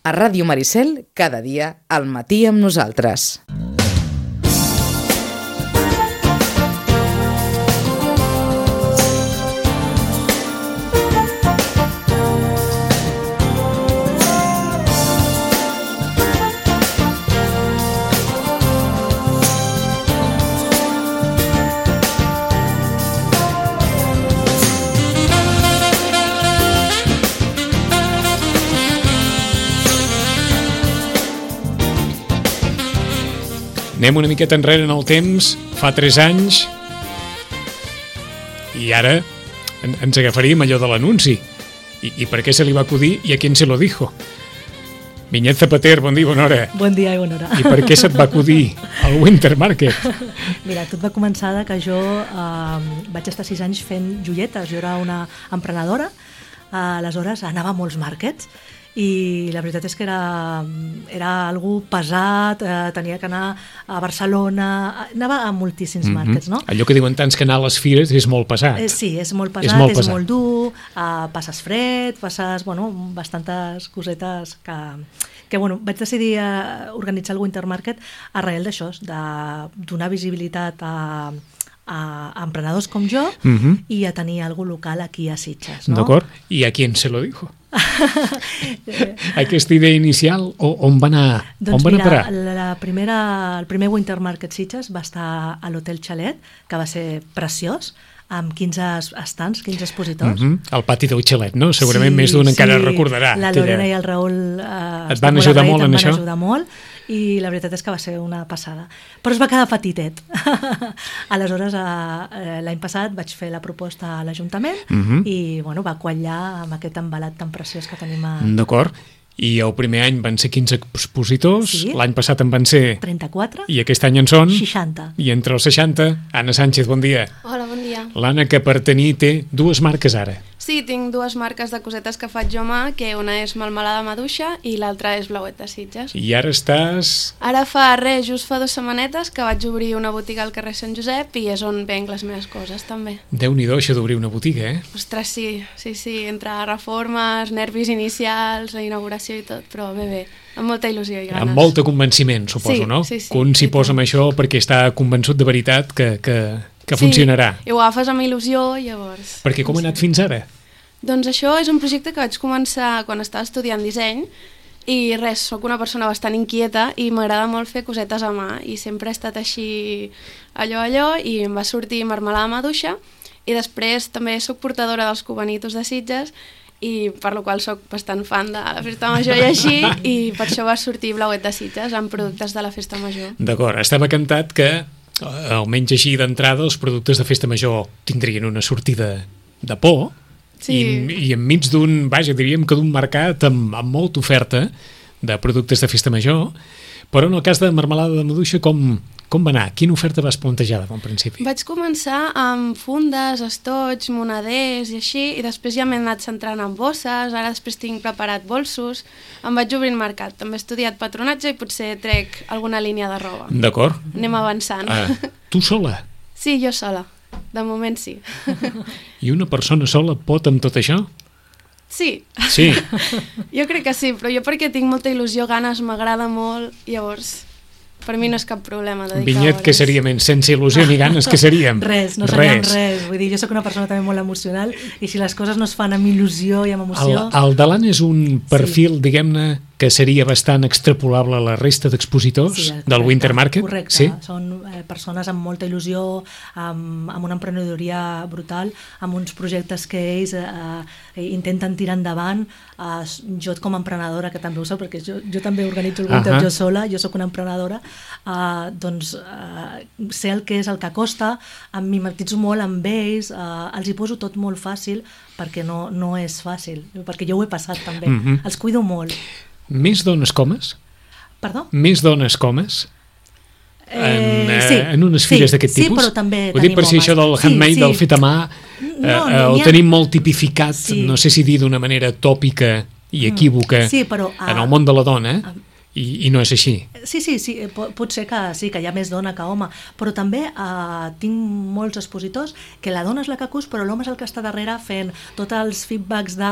A Ràdio Maricel, cada dia, al matí amb nosaltres. Anem una miqueta enrere en el temps, fa 3 anys, i ara ens agafaríem allò de l'anunci. I per què se li va acudir i a qui se lo dijo? Vinyet Zapater, bon dia, bona hora. Bon dia i bona hora. I per què se't va acudir al Winter Market? Mira, tot va començar que jo vaig estar 6 anys fent joietes. Jo era una emprenedora, aleshores anava a molts markets, i la veritat és que era algú pesat, tenia que anar a Barcelona, anava a moltíssims markets, no? Allò que diuen tants que anar a les fires és molt pesat. Sí, és molt pesat, és molt dur, passes fred, passes, bastantes cosetes que vaig decidir organitzar el Winter Market arrel d'això, de donar visibilitat a emprenedors com jo i a tenir algú local aquí a Sitges, no? D'acord, i a qui se lo dijo? Aquesta idea inicial, on va anar? Doncs on va mira, anar a parar? el primer Winter Market Sitges va estar a l'Hotel Xalet, que va ser preciós, amb 15 estants, 15 expositors. El pati del Xalet, no? Segurament més d'un encara recordarà. La Lorena i el Raül et van ajudar molt en això? Em van ajudar molt, i la veritat és que va ser una passada. Però es va quedar petitet. Aleshores, l'any passat vaig fer la proposta a l'Ajuntament i va quallar amb aquest embalat tan preciós que tenim a... D'acord. I el primer any van ser 15 expositors, l'any passat en van ser... 34. I aquest any en són... 60. I entre els 60, Anna Sánchez, bon dia. Hola, bon dia. L'Anna, que per tenir té 2 marques ara. Sí, tinc 2 marques de cosetes que faig jo a mà, que una és Melmelada Maduixa i l'altra és Blauet de Sitges. I ara estàs... Ara just fa 2 setmanetes que vaig obrir una botiga al carrer Sant Josep i és on venc les meves coses, també. Déu-n'hi-do, això d'obrir una botiga, eh? Ostres, sí, entre reformes, nervis inicials, la inauguració i tot, però bé, amb molta il·lusió i ganes. Amb molt de convenciment, suposo, no? Sí. Que un s'hi posa amb això perquè està convençut de veritat que funcionarà. I ho agafes amb il·lusió, llavors... Perquè com ha anat fins ara? Doncs això és un projecte que vaig començar quan estava estudiant disseny i res, sóc una persona bastant inquieta i m'agrada molt fer cosetes a mà i sempre he estat així allò i em va sortir Melmelada Maduixa i després també sóc portadora dels Cubanitos de Sitges i per la qual soc bastant fan de la Festa Major i així, i per això va sortir Blauet de Sitges amb productes de la Festa Major. D'acord, estava cantat que almenys així d'entrada els productes de Festa Major tindrien una sortida de por. Sí. I enmig d'un, diríem que d'un mercat amb molta oferta de productes de Festa Major, però en el cas de Melmelada de Maduixa com va anar? Quina oferta vas plantejar de bon principi? Vaig començar amb fundes, estoig, moneders i així, i després ja m'he anat centrant en bosses, ara després tinc preparat bolsos, em vaig obrint mercat, també he estudiat patronatge i potser trec alguna línia de roba. D'acord. Anem avançant. Tu sola? Sí, jo sola. De moment sí. I una persona sola pot amb tot això? Sí. Sí. Jo crec que sí, però jo perquè tinc molta il·lusió, ganes, m'agrada molt, llavors per mi no és cap problema dedicar Vinyet, hores. què seríem? Sense il·lusió ni ganes, què seríem? Res, no seríem res. Vull dir, jo sóc una persona també molt emocional i si les coses no es fan amb il·lusió i amb emoció... El de l'Anna és un perfil, diguem-ne, que seria bastant extrapolable a la resta d'expositors del Winter Market? Correcte, sí? Són persones amb molta il·lusió, amb una emprenedoria brutal, amb uns projectes que ells intenten tirar endavant. Jo com a emprenedora, que també ho soc, perquè jo també organitzo el Winter jo sola, jo sóc una emprenedora, doncs sé el que és el que costa, em mimetitzo molt amb ells, els hi poso tot molt fàcil perquè no és fàcil, perquè jo ho he passat també, els cuido molt. Més dones comes? Perdó? Més dones comes? En unes fires d'aquest tipus? Sí, però també ho dic per si això del handmade, del fet a mà, ho tenim molt tipificat, no sé si dir d'una manera tòpica i equívoca en el món de la dona, i no és així. Sí, pot ser que sí, que hi ha més dona que home, però també tinc molts expositors que la dona és la que cus, però l'home és el que està darrere fent tots els feedbacks de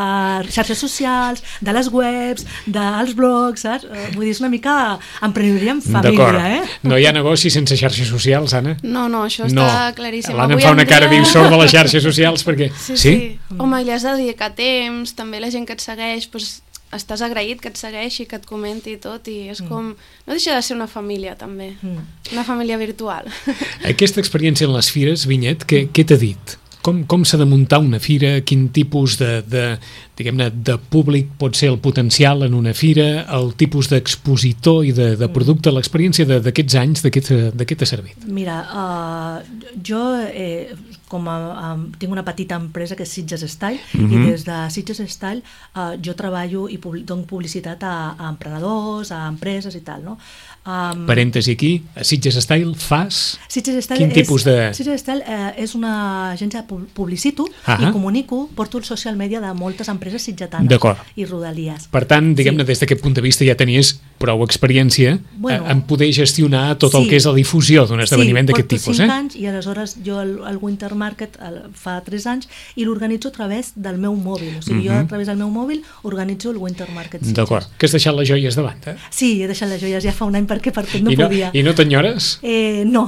xarxes socials, de les webs, dels blogs, saps? Vull dir, és una mica emprenedoria en família, No hi ha negoci sense xarxes socials, Anna? No, això està claríssim. L'Anna em fa una cara diu sort de les xarxes socials perquè... Sí. Home, li has de dedicar temps, també la gent que et segueix, doncs estàs agraït que et segueixi, que et comenti tot, i és com... No deixa de ser una família, també. Una família virtual. Aquesta experiència en les fires, Vinyet, què t'ha dit? Com s'ha de muntar una fira? Quin tipus diguem-ne, de públic pot ser el potencial en una fira? El tipus d'expositor i de producte? L'experiència d'aquests anys, de què t'ha servit? Mira, jo tinc una petita empresa que és Sitges Style, i des de Sitges Style jo treballo i dono publicitat a emprenedors, a empreses i tal, no? Parèntesi aquí, a Sitges Style fas... Quin tipus de... Sitges Style és una agència de publicito i comunico, porto el social media de moltes empreses sitgetanes i rodalies. Per tant, diguem-ne, des d'aquest punt de vista ja tenies prou experiència en poder gestionar tot el que és la difusió d'un esdeveniment d'aquest tipus. Sí, porto 5 anys i aleshores jo el Winter Market fa 3 anys i l'organitzo a través del meu mòbil. O sigui, jo a través del meu mòbil organitzo el Winter Market Sitges. D'acord. Que has deixat les joies davant, Sí, he deixat les joies ja fa un any perquè per tot no podia. I no t'enyores? No.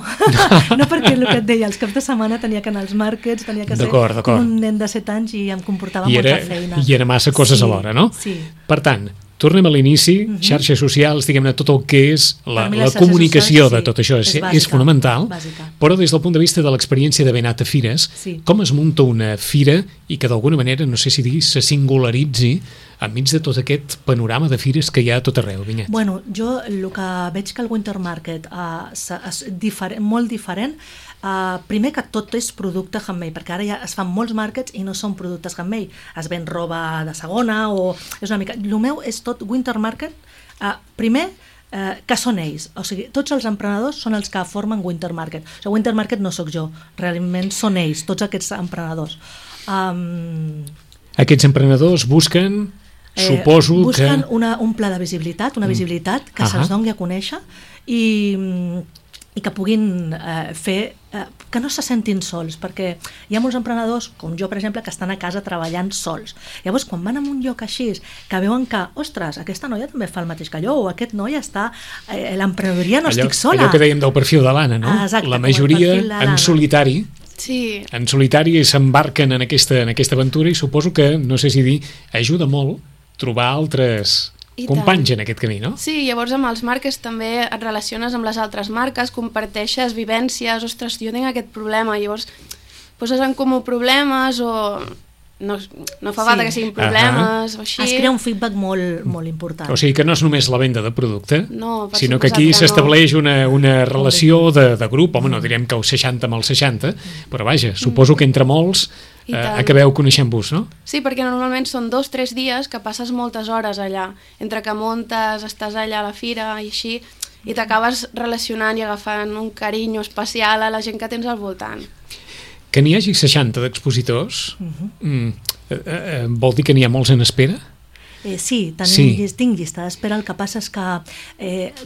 No, perquè el que et deia, els caps de setmana tenia que anar als markets, tenia que ser un nen de 7 anys i em comportava molta feina. I era massa coses alhora, no? Sí. Per tant, tornem a l'inici, xarxes socials, diguem-ne, tot el que és la comunicació de tot això és fonamental, però des del punt de vista de l'experiència d'haver anat a fires, com es munta una fira i que d'alguna manera, no sé si dir, se singularitzi enmig de tot aquest panorama de fires que hi ha a tot arreu, Vinyet? Bueno, jo el que veig que el Winter Market és molt diferent. Primer que tot és producte handmade, perquè ara ja es fan molts markets i no són productes handmade, es ven roba de segona o és una mica... El meu és tot Winter Market, primer que són ells, o sigui, tots els emprenedors són els que formen Winter Market. O sigui, Winter Market no sóc jo, realment són ells, tots aquests emprenedors. Aquests emprenedors busquen... Busquen un pla de visibilitat, una visibilitat que se'ls doni a conèixer i que puguin fer que no se sentin sols, perquè hi ha molts emprenedors, com jo per exemple, que estan a casa treballant sols. Llavors quan van a un lloc així, que veuen que ostres, aquesta noia també fa el mateix que jo, o aquest noi està l'emprenedoria, no estic sola. Allò que dèiem del perfil de l'Anna, no? Exacte, la majoria en solitari. Sí. En solitari s'embarquen en aquesta aventura i suposo que, no sé si dir, ajuda molt trobar altres companys en aquest camí, no? Sí, llavors amb els marques també et relaciones amb les altres marques, comparteixes vivències, ostres, jo tinc aquest problema, llavors poses en comú problemes o... No fa falta que siguin problemes o així. Es crea un feedback molt important. O sigui que no és només la venda de producte, sinó que aquí que s'estableix una relació de grup, home, no direm que el 60 amb el 60, però vaja, suposo que entre molts acabeu coneixent-vos, no? Sí, perquè normalment són 2-3 dies que passes moltes hores allà, entre que muntes, estàs allà a la fira i així, i t'acabes relacionant i agafant un carinyo especial a la gent que tens al voltant. Que n'hi hagi 60 d'expositors vol dir que n'hi ha molts en espera? Sí, tinc llista d'espera. El que passa és que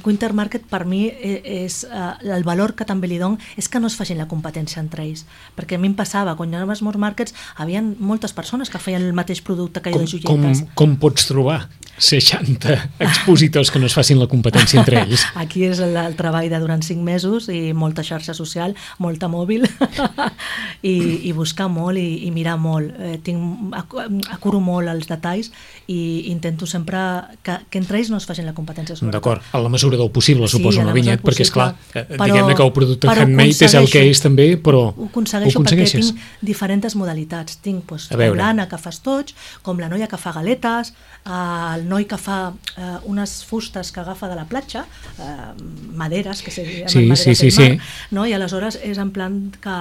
Winter Market per mi és el valor que també li dono és que no es facin la competència entre ells, perquè a mi em passava, quan hi havia molts markets hi havia moltes persones que feien el mateix producte que jo de joietes. Com pots trobar 60 expositors que no es facin la competència entre ells? Aquí és el treball de durant 5 mesos i molta xarxa social, molta mòbil i buscar molt i mirar molt. Acuro molt els detalls i intento sempre que entre ells no es facin la competència. D'acord, a la mesura del possible, suposo, la Vinyet, perquè esclar, diguem-ne que el producte handmade és el que és també, però ho aconsegueixo perquè tinc diferents modalitats. Tinc com l'Anna que fa estoig, com la noia que fa galetes, el noi que fa unes fustes que agafa de la platja, maderes, que se llamen maderes del mar, no? I aleshores és en plan que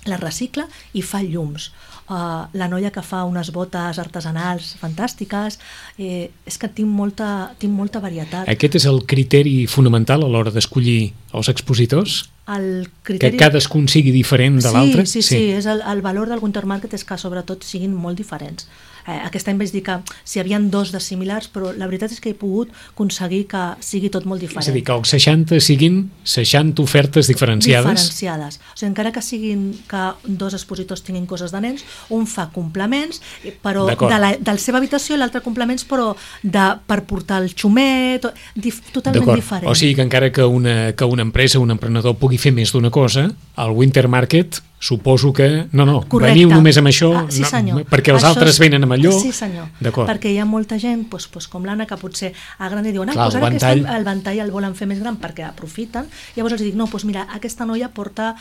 la recicla i fa llums. La noia que fa unes botes artesanals fantàstiques, és que tinc molta varietat. Aquest és el criteri fonamental a l'hora d'escollir els expositors? el criteri... Que cadascun sigui diferent de l'altre? Sí, és el valor del Winter Market és que sobretot siguin molt diferents. Aquest any vaig dir que si hi havia 2 de similars, però la veritat és que he pogut aconseguir que sigui tot molt diferent. És a dir, que els 60 siguin 60 ofertes diferenciades. Diferenciades. O sigui, encara que siguin que 2 expositors tinguin coses de nens, un fa complements, però de la seva habitació i l'altre complements, però per portar el xumet, totalment diferent. O sigui que encara que una empresa, un emprenedor pugui fer més d'una cosa, al Winter Market suposo que... No, veniu només amb això, sí, perquè els altres venen amb allò. Sí, senyor, perquè hi ha molta gent com l'Anna que potser a gran diuen ara el ventall el volen fer més gran perquè aprofiten, llavors els dic, no, mira, aquesta noia porta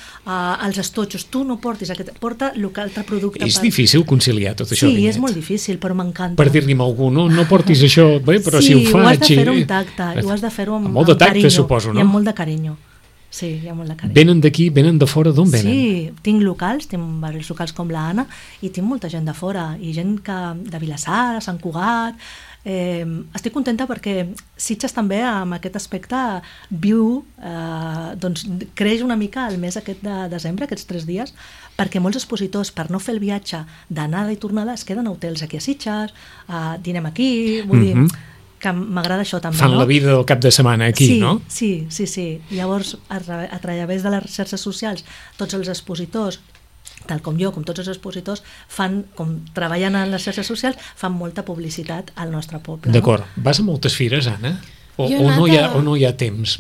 els estotxos, tu no portis aquest, porta l'altre producte. És difícil conciliar tot això, Sí, és molt difícil, però m'encanta. Per dir-li a algú, no portis això, bé, però si ho faig... Sí, ho has de fer-ho amb tacte, ho has de fer-ho amb molt de tacte, suposo, no? I amb molt de carinyo. Sí, hi ha molt de carinyo. Venen d'aquí, venen de fora, d'on venen? Sí, tinc locals, tinc diversos locals com l'Anna i tinc molta gent de fora i gent de Vilassar, Sant Cugat. Estic contenta perquè Sitges també amb aquest aspecte viu, doncs creix una mica el mes aquest de desembre, aquests 3 dies, perquè molts expositors, per no fer el viatge d'anada i tornada, es queden a hotels aquí a Sitges, dinem aquí, vull dir... que m'agrada això també, Fan la vida del cap de setmana aquí, no? Sí. Llavors, a través de les xarxes socials, tots els expositors, tal com jo, com tots els expositors, treballen en les xarxes socials, fan molta publicitat al nostre poble. D'acord. Vas a moltes fires, Anna? O no hi ha temps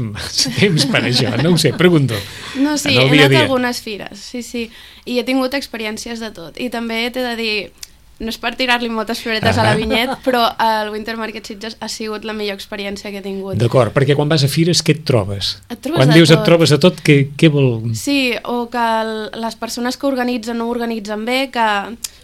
per això? No ho sé, pregunto. No, sí, he anat a algunes fires, sí. I he tingut experiències de tot. I també t'he de dir... No és per tirar-li moltes floretes a la Vinyet, però el Winter Market Sitges ha sigut la millor experiència que he tingut. D'acord, perquè quan vas a fires, què et trobes? Et trobes quan dius et trobes a tot, què vol... Sí, o que les persones que organitzen no ho organitzen bé, que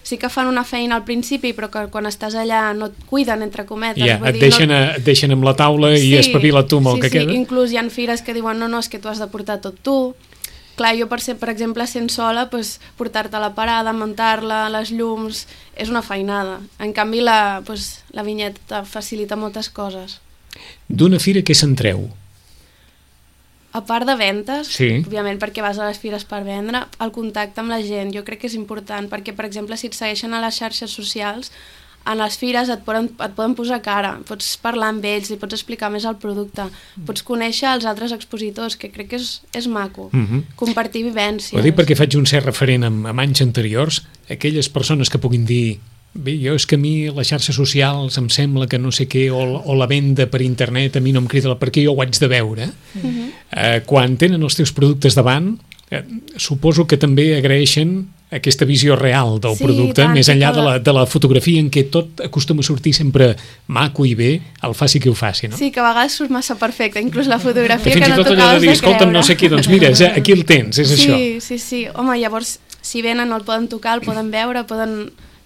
sí que fan una feina al principi, però que quan estàs allà no et cuiden, entre cometes. Et deixen amb la taula i espavila tu amb el que queda. Sí, inclús hi ha fires que diuen no, és que tu has de portar tot tu. Clar, jo, per exemple, sent sola, portar-te la parada, muntar-la, les llums, és una feinada. En canvi, la Vinyeta facilita moltes coses. D'una fira què se'n treu? A part de ventes, òbviament perquè vas a les fires per vendre, el contacte amb la gent jo crec que és important, perquè, per exemple, si et segueixen a les xarxes socials, en les fires et poden posar cara, pots parlar amb ells, li pots explicar més el producte, pots conèixer els altres expositors, que crec que és maco, compartir vivències. Ho dic perquè faig un cert referent amb anys anteriors, aquelles persones que puguin dir bé, jo és que a mi les xarxes socials em sembla que no sé què, o la venda per internet a mi no em crida perquè jo ho haig de veure. Quan tenen els teus productes davant, suposo que també agraeixen aquesta visió real del producte, més enllà de la fotografia en què tot acostuma a sortir sempre maco i bé, el faci qui ho faci, no? Sí, que a vegades surt massa perfecte, inclús la fotografia que no t'acaves de creure. Fins i tot allò de dir, escolta'm, no sé què, doncs mira, aquí el tens, és això. Sí. Home, llavors, si venen no el poden tocar, el poden veure, poden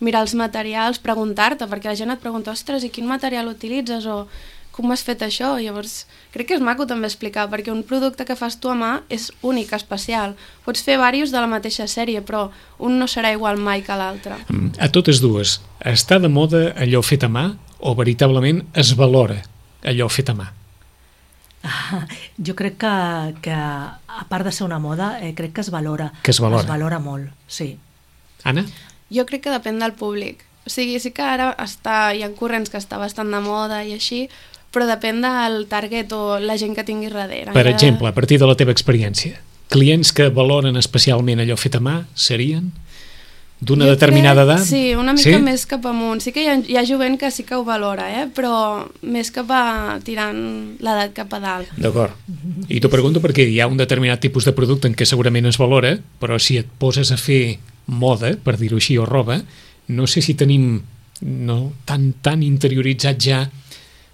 mirar els materials, preguntar-te, perquè la gent et pregunta, ostres, i quin material utilitzes, o com has fet això? Llavors, crec que és maco també explicar, perquè un producte que fas tu a mà és únic, especial. Pots fer diversos de la mateixa sèrie, però un no serà igual mai que l'altre. A totes dues, està de moda allò fet a mà o veritablement es valora allò fet a mà? Jo crec que a part de ser una moda, crec que es valora. Que es valora. Es valora molt, sí. Anna? Jo crec que depèn del públic. O sigui, sí que ara hi ha corrents que està bastant de moda i així, però depèn del target o la gent que tingui darrere. Per exemple, a partir de la teva experiència, clients que valoren especialment allò fet a mà serien d'una determinada edat? Sí, una mica més cap amunt. Sí que hi ha jovent que sí que ho valora, però més cap a tirant l'edat cap a dalt. D'acord. I t'ho pregunto perquè hi ha un determinat tipus de producte en què segurament es valora, però si et poses a fer moda, per dir-ho així, o roba, no sé si tenim tan interioritzat ja...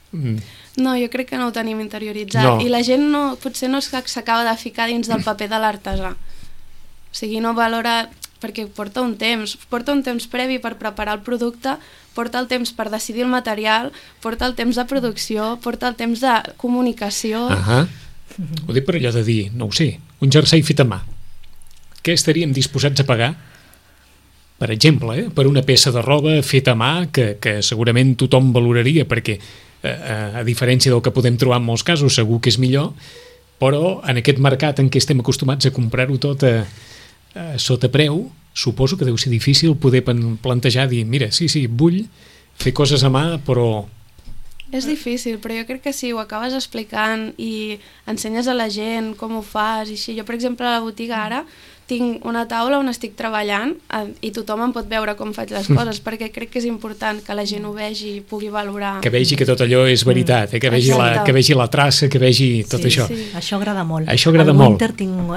No, jo crec que no ho tenim interioritzat. I la gent potser no s'acaba de ficar dins del paper de l'artesà. O sigui, no valora... perquè porta un temps previ per preparar el producte, porta el temps per decidir el material, porta el temps de producció, porta el temps de comunicació... Ho dic per allò de dir, no ho sé, un jersei fet a mà. Què estaríem disposats a pagar? Per exemple, per una peça de roba feta a mà que segurament tothom valoraria perquè, a diferència del que podem trobar en molts casos, segur que és millor, però en aquest mercat en què estem acostumats a comprar-ho tot sota preu, suposo que deu ser difícil poder plantejar, dir, mira, sí, vull fer coses a mà, però... És difícil, però jo crec que sí, ho acabes explicant i ensenyes a la gent com ho fas i així. Jo, per exemple, a la botiga ara tinc una taula on estic treballant i tothom em pot veure com faig les coses, perquè crec que és important que la gent ho vegi i pugui valorar. Que vegi que tot allò és veritat, que vegi la traça, que vegi tot això. Sí. Això agrada molt. Això agrada molt. Al Winter tinc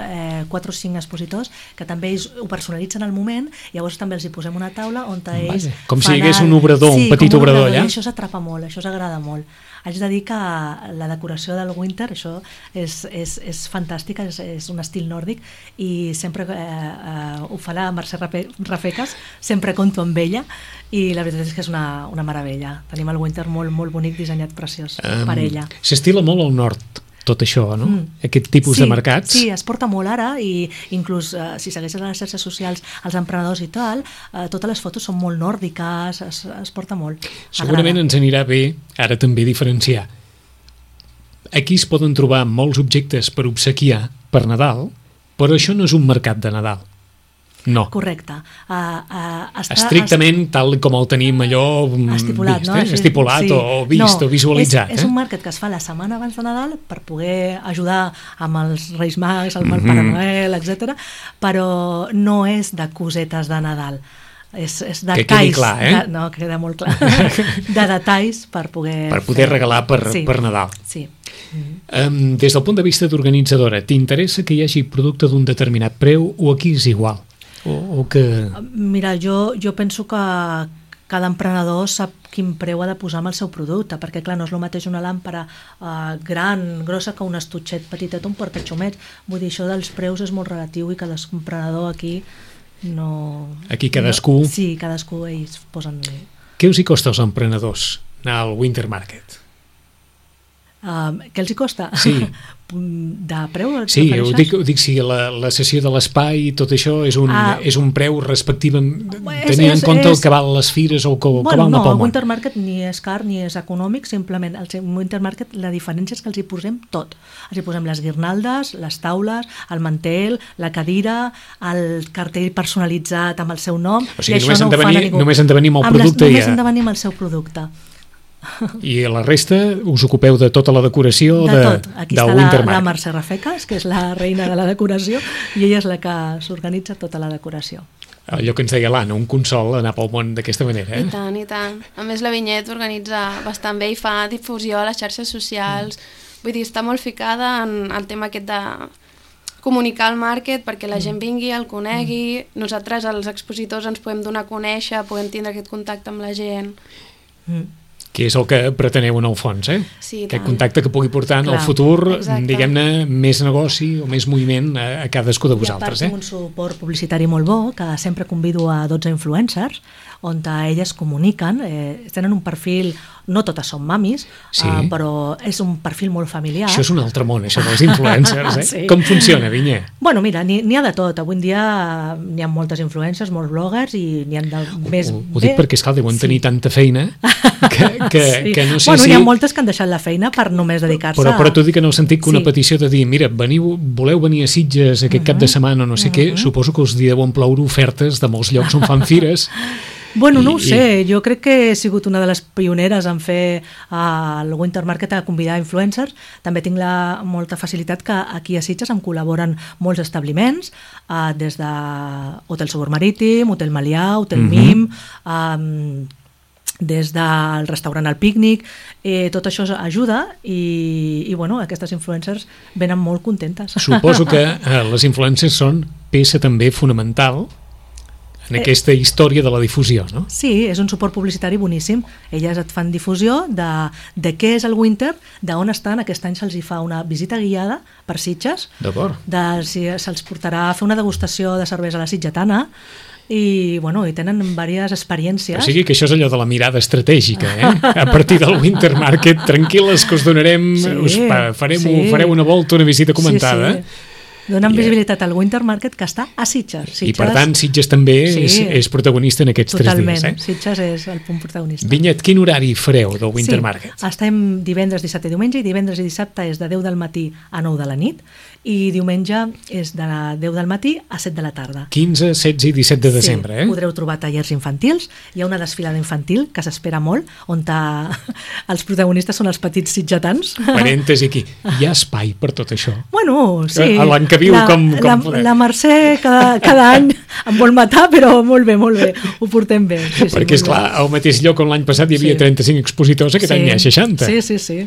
4 o 5 expositors que també ells ho personalitzen al moment, llavors també els hi posem una taula on ells... Com si hi hagués un obrador, un petit obrador allà. Això s'atrapa molt, això s'agrada molt. Haig de dir que la decoració del Winter, això és fantàstica, és un estil nòrdic i sempre ho fa la Mercè Rafecas, sempre conto amb ella i la veritat és que és una meravella. Tenim el Winter molt, molt bonic, dissenyat preciós per ella. S'estila molt al nord tot això, no? Aquest tipus de mercats. Sí, es porta molt ara i inclús si segueixes a les xarxes socials els emprenedors i tal, totes les fotos són molt nòrdiques, es porta molt. Segurament ens anirà bé ara també diferenciar. Aquí es poden trobar molts objectes per obsequiar per Nadal, però això no és un mercat de Nadal. No. Correcte. Estrictament tal com el tenim allò estipulat, vist, no? Estipulat sí. o vist o visualitzat. És un mercat que es fa la setmana abans de Nadal per poder ajudar amb els Reis Mags, el Pare Noel, etc. Però no és de cosetes de Nadal. És detalls, que quedi clar, no, queda molt clar. De detalls per poder regalar per Nadal. Sí. Des del punt de vista d'organitzadora, t'interessa que hi hagi producte d'un determinat preu o aquí és igual? O que... Mira, jo penso que cada emprenedor sap quin preu ha de posar amb el seu producte, perquè clar, no és el mateix una làmpara gran, grossa, que un estutxet petitet, un portaxumet. Vull dir, això dels preus és molt relatiu i cada emprenedor aquí no... Aquí cadascú... No, sí, cadascú ells posen... Què us hi costa als emprenedors anar al Winter Market? Què els hi costa? Sí. De preu? Sí, ho dic si la sessió de l'espai i tot això és un preu respectivament tenint en compte el que val les fires o el que val una poma. El Winter Market ni és car ni és econòmic, simplement el Winter Market la diferència és que els hi posem tot. Els hi posem les guirnaldes, les taules, el mantel, la cadira, el cartell personalitzat amb el seu nom. O sigui, només han de venir amb el producte. Només han de venir amb el seu producte. I la resta us ocupeu de tota la decoració de tot. Aquí del està Winter Market. La Mercè Rafecas, que és la reina de la decoració, i ella és la que s'organitza tota la decoració. Allò que ens deia l'Anna, un consol anar pel món d'aquesta manera. I tant, i tant. A més, la Vinyet organitza bastant bé i fa difusió a les xarxes socials. Vull dir, està molt ficada en el tema aquest de comunicar el market perquè la gent vingui, el conegui. Nosaltres, els expositors, ens podem donar a conèixer, podem tindre aquest contacte amb la gent. Que és el que preteneu en el fons, Sí, aquest contacte que pugui portar en el futur, diguem-ne, més negoci o més moviment a cadascú de vosaltres. I a part, un suport publicitari molt bo, que sempre convido a 12 influencers, on elles comuniquen, tenen un perfil, no totes són mamis, però és un perfil molt familiar. Això és un altre món, això dels influencers, Sí. Com funciona, Vinyé? Bueno, mira, n'hi ha de tot. Avui en dia n'hi ha moltes influencers, molts bloggers, i n'hi ha més... Ho dic perquè, esclar, deuen tenir tanta feina que no sé bueno, hi ha moltes que han deixat la feina per només dedicar-se Però t'ho dic en el sentit que una petició de dir, mira, voleu venir a Sitges aquest cap de setmana o no sé què, suposo que us deuen ploure ofertes de molts llocs on fan fires. Bueno, no ho sé, jo crec que he sigut una de les pioneres en fer el Winter Market a convidar influencers. També tinc molta facilitat que aquí a Sitges em col·laboren molts establiments, des de Hotel Segur Marítim, Hotel Melià, Hotel Mim, des del restaurant El Pícnic, tot això ajuda i bueno, aquestes influencers venen molt contentes. Suposo que les influencers són peça també fonamental en aquesta història de la difusió, no? Sí, és un suport publicitari boníssim. Elles et fan difusió de què és el Winter, d'on estan. Aquest any se'ls hi fa una visita guiada per Sitges. D'acord. Si se'ls portarà a fer una degustació de cervesa a la sitgetana i, bueno, i tenen diverses experiències. O sigui que això és allò de la mirada estratègica, A partir del Winter Market, tranquil·les que us donarem, fareu una volta, una visita comentada. Sí. Donen visibilitat al Winter Market, que està a Sitges. I per tant, Sitges també és protagonista en aquests 3 dies. Totalment, Sitges és el punt protagonista. Vinyet, quin horari fareu del Winter Market? Estem divendres, dissabte i diumenge, i divendres i dissabte és de 10 del matí a 9 de la nit, i diumenge és de 10 del matí a 7 de la tarda. 15, 16 i 17 de desembre, Podreu trobar tallers infantils, hi ha una desfilada infantil que s'espera molt, on els protagonistes són els petits sitgetans. Parèntesi aquí, hi ha espai per tot això? Bueno, sí. A l'any que viu, com podem? La Mercè cada any em vol matar, però molt bé, ho portem bé. Sí, perquè, esclar, al mateix lloc on l'any passat hi havia 35 expositors, aquest any n'hi ha 60. Sí.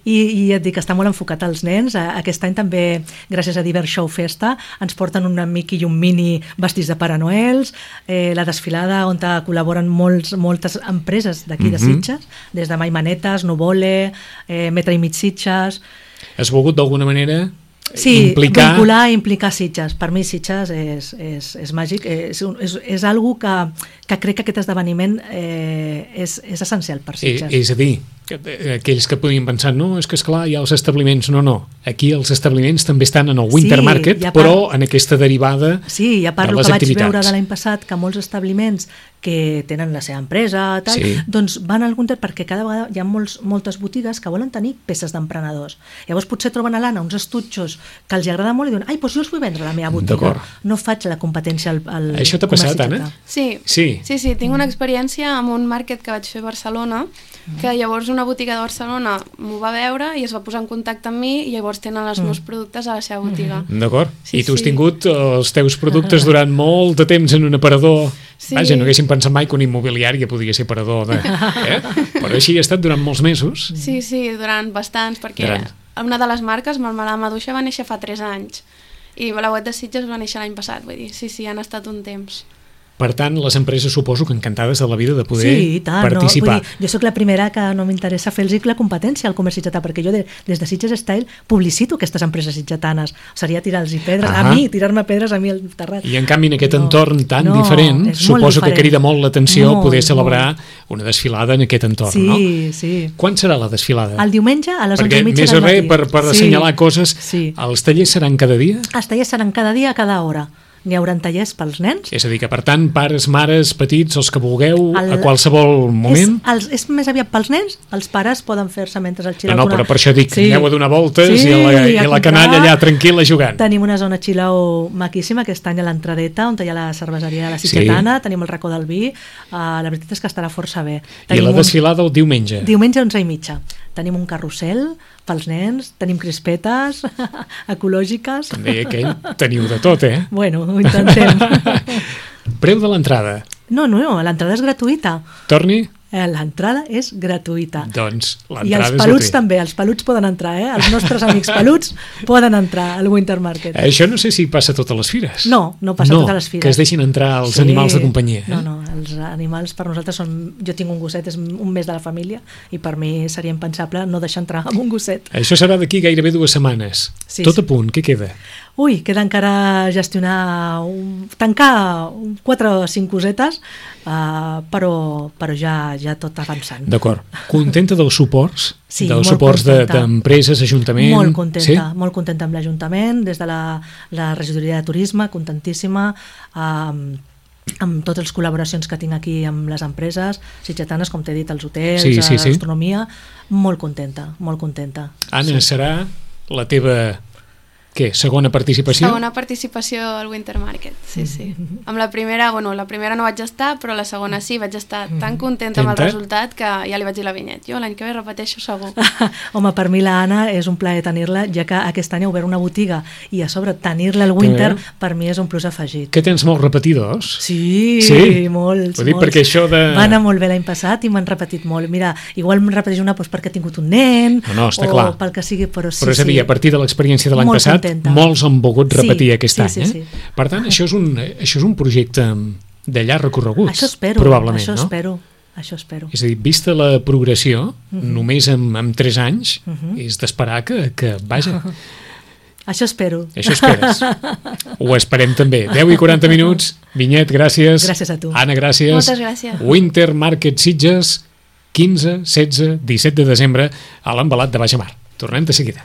I et dic que està molt enfocat als nens. Aquest any també, gràcies a Divers Show Festa, ens porten un Mickey i un Minnie vestits de Pare Noels, la desfilada on col·laboren moltes empreses d'aquí de Sitges, des de Mai Manetes, Nuvole, Metre i Mig Sitges. Has volgut d'alguna manera implicar Sitges. Per mi Sitges és màgic, és algo que crec que aquest esdeveniment és essencial per Sitges. És a dir, aquells que podien pensar, no, és que esclar, hi ha els establiments, no, aquí els establiments també estan en el Winter Market, però en aquesta derivada de les activitats. Sí, ja parlo que vaig veure de l'any passat que molts establiments que tenen la seva empresa, doncs van al Winter perquè cada vegada hi ha moltes botigues que volen tenir peces d'emprenedors. Llavors potser troben a l'Anna uns estutxos que els agrada molt i diuen, doncs jo els vull vendre a la meva botiga. No faig la competència al Això t'ha passat, Anna? Sí, tinc una experiència amb un market que vaig fer a Barcelona, que llavors una botiga de Barcelona m'ho va veure i es va posar en contacte amb mi i llavors tenen els meus productes a la seva botiga. D'acord. I tu has tingut els teus productes durant molt de temps en un aparador. Vaja, no haguéssim pensat mai que una immobiliària podia ser aparador però així ha estat durant molts mesos. Sí, durant bastants, perquè una de les marques, Marmelada Maduixa, va néixer fa 3 anys i la web de Sitges va néixer l'any passat, vull dir, sí, han estat un temps. Per tant, les empreses suposo que encantades de la vida de poder participar. Jo sóc la primera que no m'interessa fer-los la competència al comerç sitgetà, perquè jo des de Sitges Style publicito aquestes empreses sitgetanes. Seria tirar-los pedres, tirar-me pedres a mi al terrat. I en canvi en aquest entorn tan diferent, suposo que crida molt l'atenció poder celebrar una desfilada en aquest entorn, no? Sí. Quan serà la desfilada? El diumenge a les 11:30 del matí. Perquè més o res, per assenyalar coses, els tallers seran cada dia? Els tallers seran cada dia, a cada hora. N'hi haurà tallers pels nens. És a dir, que per tant, pares, mares, petits, els que vulgueu, a qualsevol moment... És més aviat pels nens, els pares poden fer-se mentre el chill-out... No, però per això dic, aneu a donar voltes i la canalla allà tranquil·la jugant. Tenim una zona chill-out maquíssima, aquest any a l'entradeta, on hi ha la cerveseria de la Sitgetana, tenim el racó del vi, la veritat és que estarà força bé. I la desfilada el diumenge? Diumenge 11:30. Tenim un carrusel pels nens, tenim crispetes ecològiques... Com deia aquell, teniu de tot, Bueno, ho intentem. Preu de l'entrada? No, l'entrada és gratuïta. Torni? L'entrada és gratuïta. Doncs l'entrada i els peluts també, els peluts poden entrar, els nostres amics peluts poden entrar al Winter Market. Això no sé si passa a totes les fires. No passa a totes les fires. Que es deixin entrar els animals de companyia. No, els animals per nosaltres són... Jo tinc un gosset, és un mes de la família, i per mi seria impensable no deixar entrar amb un gosset. Això serà d'aquí gairebé 2 setmanes. Tot a punt, què queda? Queda encara gestionar, tancar 4 o 5 cosetes, però ja tot avançant. D'acord. Contenta dels suports? Sí, dels suports d'empreses, ajuntament? Molt contenta amb l'Ajuntament, des de la regidoria de turisme, contentíssima, amb totes les col·laboracions que tinc aquí amb les empreses sitgetanes, com t'he dit, els hotels, la gastronomia, molt contenta. Anna, serà la teva... Què? Segona participació? Segona participació al Winter Market, sí. Amb la primera no vaig estar, però la segona sí, vaig estar tan contenta amb el resultat que ja li vaig dir a la Vinyet. Jo l'any que ve repeteixo segur. Home, per mi l'Anna és un plaer tenir-la, ja que aquest any ha obert una botiga i a sobre tenir-la al Winter per mi és un plus afegit. Que tens molts repetidors? Sí, molts. Ho dic perquè això de... Va anar molt bé l'any passat i m'han repetit molt. Mira, igual me'n repeteix una perquè ha tingut un nen o pel que sigui, però sí. Però és a dir, a partir de l'experiència de l'any passat, molts han volgut repetir aquest any. Sí. Per tant, això és un projecte de llarg recorregut. Això espero, probablement, això espero. És a dir, vista la progressió, només amb 3 anys, és d'esperar que vaja. Això espero. Això esperes. Ho esperem també. 10:40 minuts. Vinyet, gràcies. Gràcies a tu. Anna, gràcies. Moltes gràcies. Winter Market Sitges, 15, 16, 17 de desembre a l'Embalat de Baix Mar. Tornem de seguida.